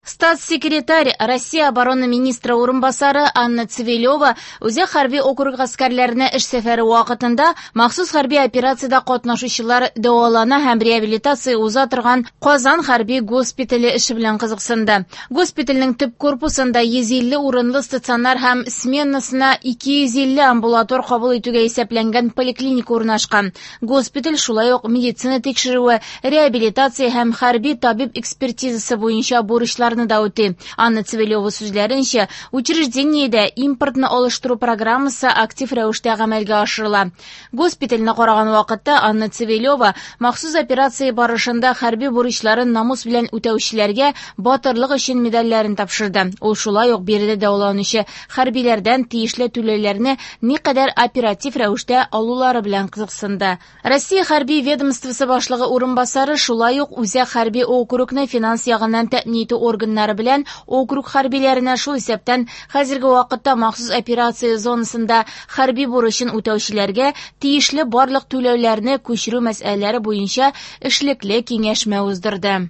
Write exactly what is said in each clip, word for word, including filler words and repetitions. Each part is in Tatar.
Статс-секретарь Россия оборона министры урынбасары Анна Цивилева Үзәк хәрби округ гаскәрләренә эш сәфәре вакытында махсус хәрби операциядә катнашучылар дәвалана һәм реабилитация уза торган Казан хәрби госпитале эше белән кызыксынды. Госпитальнең төп корпусында йөз илле урынлы стационар һәм сменасына ике йөз илле амбулатор кабул итүгә исәпләнгән поликлиника урнашкан. Госпиталь шулай ук медицина тикшерүе, реабилитация һәм хәрби табиб экспертизасы буенча бурычларны да үти. Анна Цивилева сүзләренчә, учреждениедә импортны алыштыру программасы актив рәвештә гамәлгә ашырыла. Госпитальне караган вакытта Анна Цивилева махсус операция барышында хәрби бурычларын намус белән үтәүчеләргә батырлык өчен медальләрен тапшырды. Ул шулай ук биредә дәваланучы хәрбиләрдән тиешле түләүләрне никадәр оператив рәвештә алулары белән кызыксынды. Россия хәрби ведомствосы башлыгы урынбасары шулай ук Үзәк хәрби округны финанс ягыннан тәэмин итү органнары белән округ хәрбиләренә, шул исәптән хәзерге вакытта махсус операция зонасында хәрби бурычын үтәүчеләргә тиешле барлык түләүләрне күчерү мәсьәләләре буенча эшлекле киңәшмә уздырды.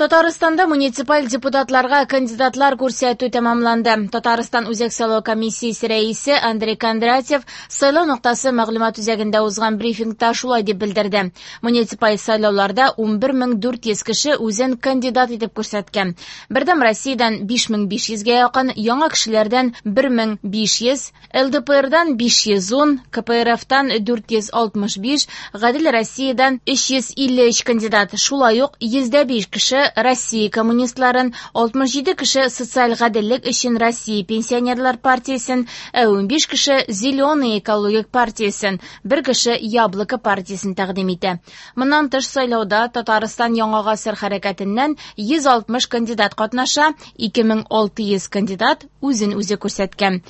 Татарстанда муниципаль депутатларга кандидатлар күрсәтү тәмамланды. Татарстан Үзәк сайлау комиссиясе рәисе Андрей Кондратьев сайлау ноктасы мәгълүмат үзәгендә узган брифингта шулай дип белдерде. Муниципаль сайлауларда унбер мең дүрт йөз кеше үзен кандидат итеп күрсәткән. Бердәм Россиядән биш мең биш йөзгә якын, яңа кешеләрдән бер мең биш йөз, Л Д П Рдан биш йөз ун, К П Р Фтан дүрт йөз алтмыш биш, Гадел Россиядән өч йөз илле өч кандидат. Шулай ук йөздә биш кеше Россия коммунистларын, алтмыш җиде кеше социаль гаделлек өчен Россия пенсионерлар партиясен, ә унбиш кеше Зеленый экологик партиясен, бер кеше Яблоко партиясен тәкъдим итә. Моннан тыш сайлауда Татарстан Яңа гасыр хәрәкәтеннән йөз алтмыш кандидат катнаша, ике мең алты йөз кандидат үзен үзе күрсәткән.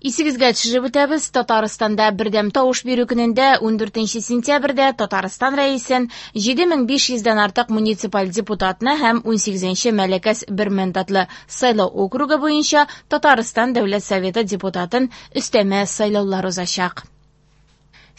Исегезгә төшереп үтәбез, Татарстанда бердәм тавыш бирү көнендә ундүртенче сентябрьдә Татарстан рәисен җиде мең биш йөздән артык муниципаль депутатны һәм унсигезенче Мәләкәс бер мандатлы сайлау округы буенча Татарстан Дәүләт Советы депутатын өстәмә сайлаулар узачак.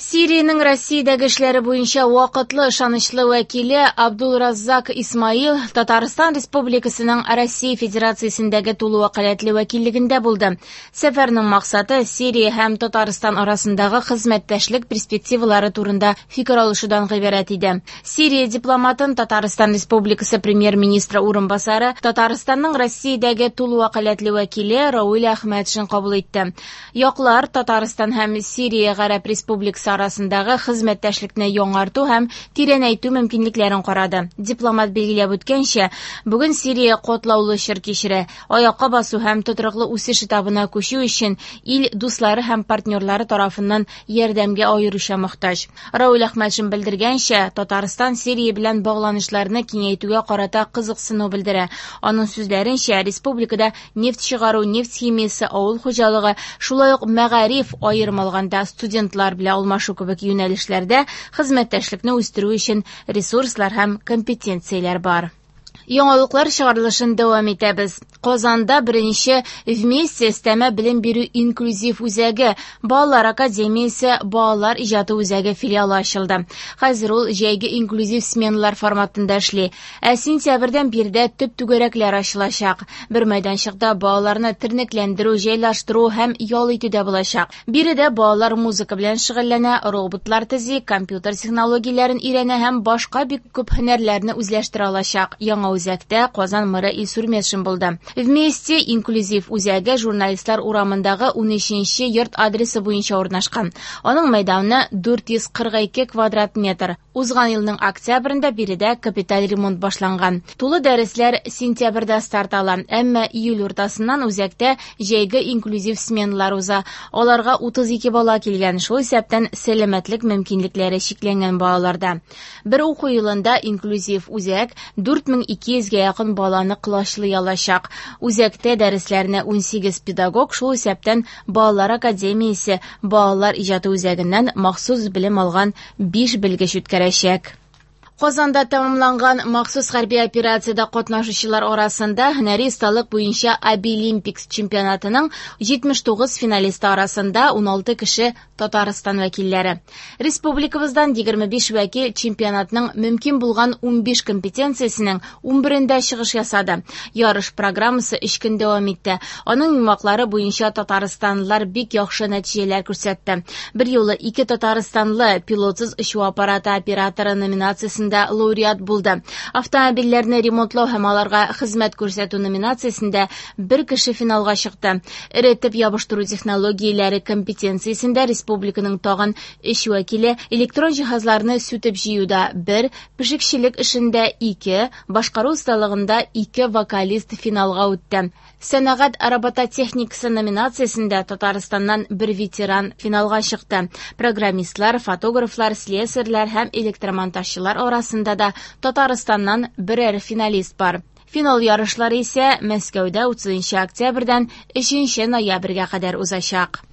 Сириянең Россиядәге эшләре буенча вакытлы ышанычлы вәкиле Абдулраззак Исмаил Татарстан Республикасының Россия Федерациясендәге тулы вәкаләтле вәкиллегендә булды. Сәфәрнең максаты Сирия һәм Татарстан арасындагы хезмәттәшлек перспективалары турында фикер алышудан гыйбарәт иде. Сирия дипломатын Татарстан Республикасы премьер-министры урынбасары Татарстанның Россиядәге тулы вәкаләтле вәкиле Рауль Әхмәтшин кабул итте. Яклар Татарстан һәм Сирия Гарәп Республикасы арасындагы хезмәттәшлекне яңарту һәм тирәнәйтү мөмкинлекләрен карады. Дипломат билгеләп үткәнчә, бүген Сирия катлаулы чор кичерә. Аякка басу һәм тотрыклы үсеш этабына күчү өчен ил дуслары һәм партнерлары тарафыннан ярдәмгә аеруча мохтаҗ. Рауль Әхмәтшин белдергәнчә, Татарстан Сирия белән багланышларны киңәйтүгә карата кызыксыну белдерә. Аның сүзләренчә, республикада нефть чыгару, нефть химиясе, авыл хуҗалыгы, шулай ук мәгариф, аерым алганда студентлар белән алмашу кебек юнәлешләрдә хезмәттәшлекне үстерү өчен ресурслар һәм компетенцияләр бар. Яңалыклар чыгарылышын дәвам итәбез. Казанда беренче Вместе өстәмә белем бирү инклюзив үзәге, Балалар академиясе, Балалар иҗаты үзәге филиалы ачылды. Хәзер ул җәйге инклюзив сменалар форматында эшли. Ә сентябрьдән биредә төп түгәрәкләр ачылачак. Бер мәйданчыкта балаларны тернәкләндерү, җайлаштыру һәм ял итү дә булачак. Биредә балалар музыка белән шөгыльләнә, роботлар төзи, компьютер технологияләрен өйрәнә һәм башка бик күп һөнәрләрне үзләштерә алачак. Яңа үзәктә Казан мэры Илсур Метшин булды. Вместе инклюзив үзәге Журналистлар урамындагы унөченче йорт адресы буенча урнашкан. Аның мәйданы дүрт йөз кырык ике квадрат метр. Узган елның октябрендә биредә капиталь ремонт башланган. Тулы дәресләр сентябрьдә старт ала, әмма июль уртасыннан үзәктә җәйге инклюзив сменалар уза. Аларга утыз ике бала килгән, шул исәптән сәламәтлек мөмкинлекләре чикләнгән балаларда. Бер уку елында инклюзив үзәк дүрт мең ике йөзгә якын баланы колачлый алачак. Үзәктә дәресләрне унсигез педагог, шул исәптән Балалар академиясе, Балалар иҗаты үзәгеннән махсус белем алган биш белгеч үткәрәчәк. Казанда тәмамланган махсус хәрби операциядә катнашучылар арасында һөнәри осталык буенча Абилимпикс чемпионатының җитмеш тугыз финалисты арасында уналты кеше Татарстан вәкилләре. Республикабыздан егерме биш вәкил чемпионатның мөмкин булган унбиш компетенциясенең унберендә чыгыш ясады. Ярыш программасы өч көн дәвам итте. Аның йомгаклары буенча татарстанлылар бик яхшы нәтиҗәләр күрсәтте. Бер юлы ике татарстанлы пилотсыз очу аппараты операторы номинациясендә лауреат булды. Автомобильләрне ремонтлау һәм аларга хезмәт күрсәтү номинациясендә бер кеше финалга чыкты. Эретеп ябыштыру технологияләре компетенциясендә республиканың тагын өч вәкиле электрон җиһазларны сүтеп җыюда бер, пешекчелек эшендә ике, башкару осталыгында ике вокалист финалга үтте. Сәнәгать робототехникасы номинациясендә Татарстаннан бер ветеран финалга чыкты. Программистлар, фотографлар, слесарьлар һәм электромонтажчылар арасында да Татарстаннан берәр финалист бар. Финал ярышлары исә Мәскәүдә утызынчы октябрьдән өченче ноябрьгә кадәр узачак.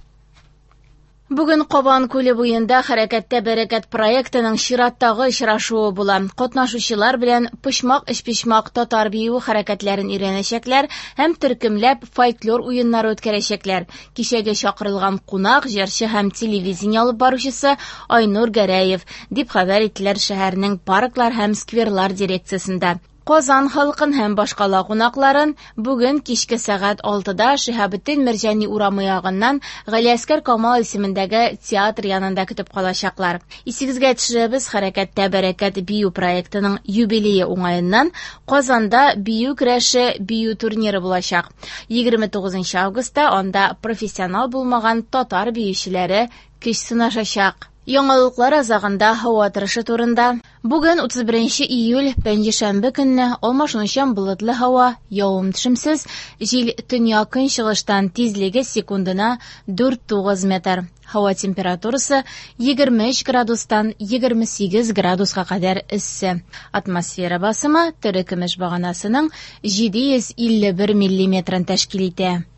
Бүген Кабан күле буенда Хәрәкәттә бәрәкәт проектының чираттагы очрашуы була. Катнашучылар белән почмак өчпочмак татар биюе хәрәкәтләрен өйрәнәчәкләр һәм төркемләп фольклор уеннары үткәрәчәкләр. Кичәгә чакырылган кунак, җырчы һәм телевидение алып баручысы Айнур Гәрәев, дип хәбәр иттеләр шәһәрнең парклар һәм скверлар дирекциясендә. Казан халкын һәм башкала кунакларын бүген кичке сәгать алтыда Шиһабетдин Мәрҗани урамы ягыннан Галиәскәр Камал исемендәге театр янында көтеп калачаклар. Исегезгә төшерәбез, Хәрәкәттә бәрәкәт бию проектының юбилее уңаеннан Казанда бию көрәше бию турниры булачак. Егерме тугызынчы августта анда профессионал булмаган татар биючеләре көч сынашачак. Яңалыклар азагында һава торышы турында. Бүген утыз беренче июль, пәнҗешәмбе көнне алмашынучан болытлы һава, явым-төшемсез, җил төньяк көнчыгыштан тизлеге секундына дүрт тугыз метр. Һава температурасы егерме өч градустан егерме сигез градуска кадәр эссе. Атмосфера басымы тере көмеш баганасының җиде йөз илле бер миллиметрын тәшкил итә.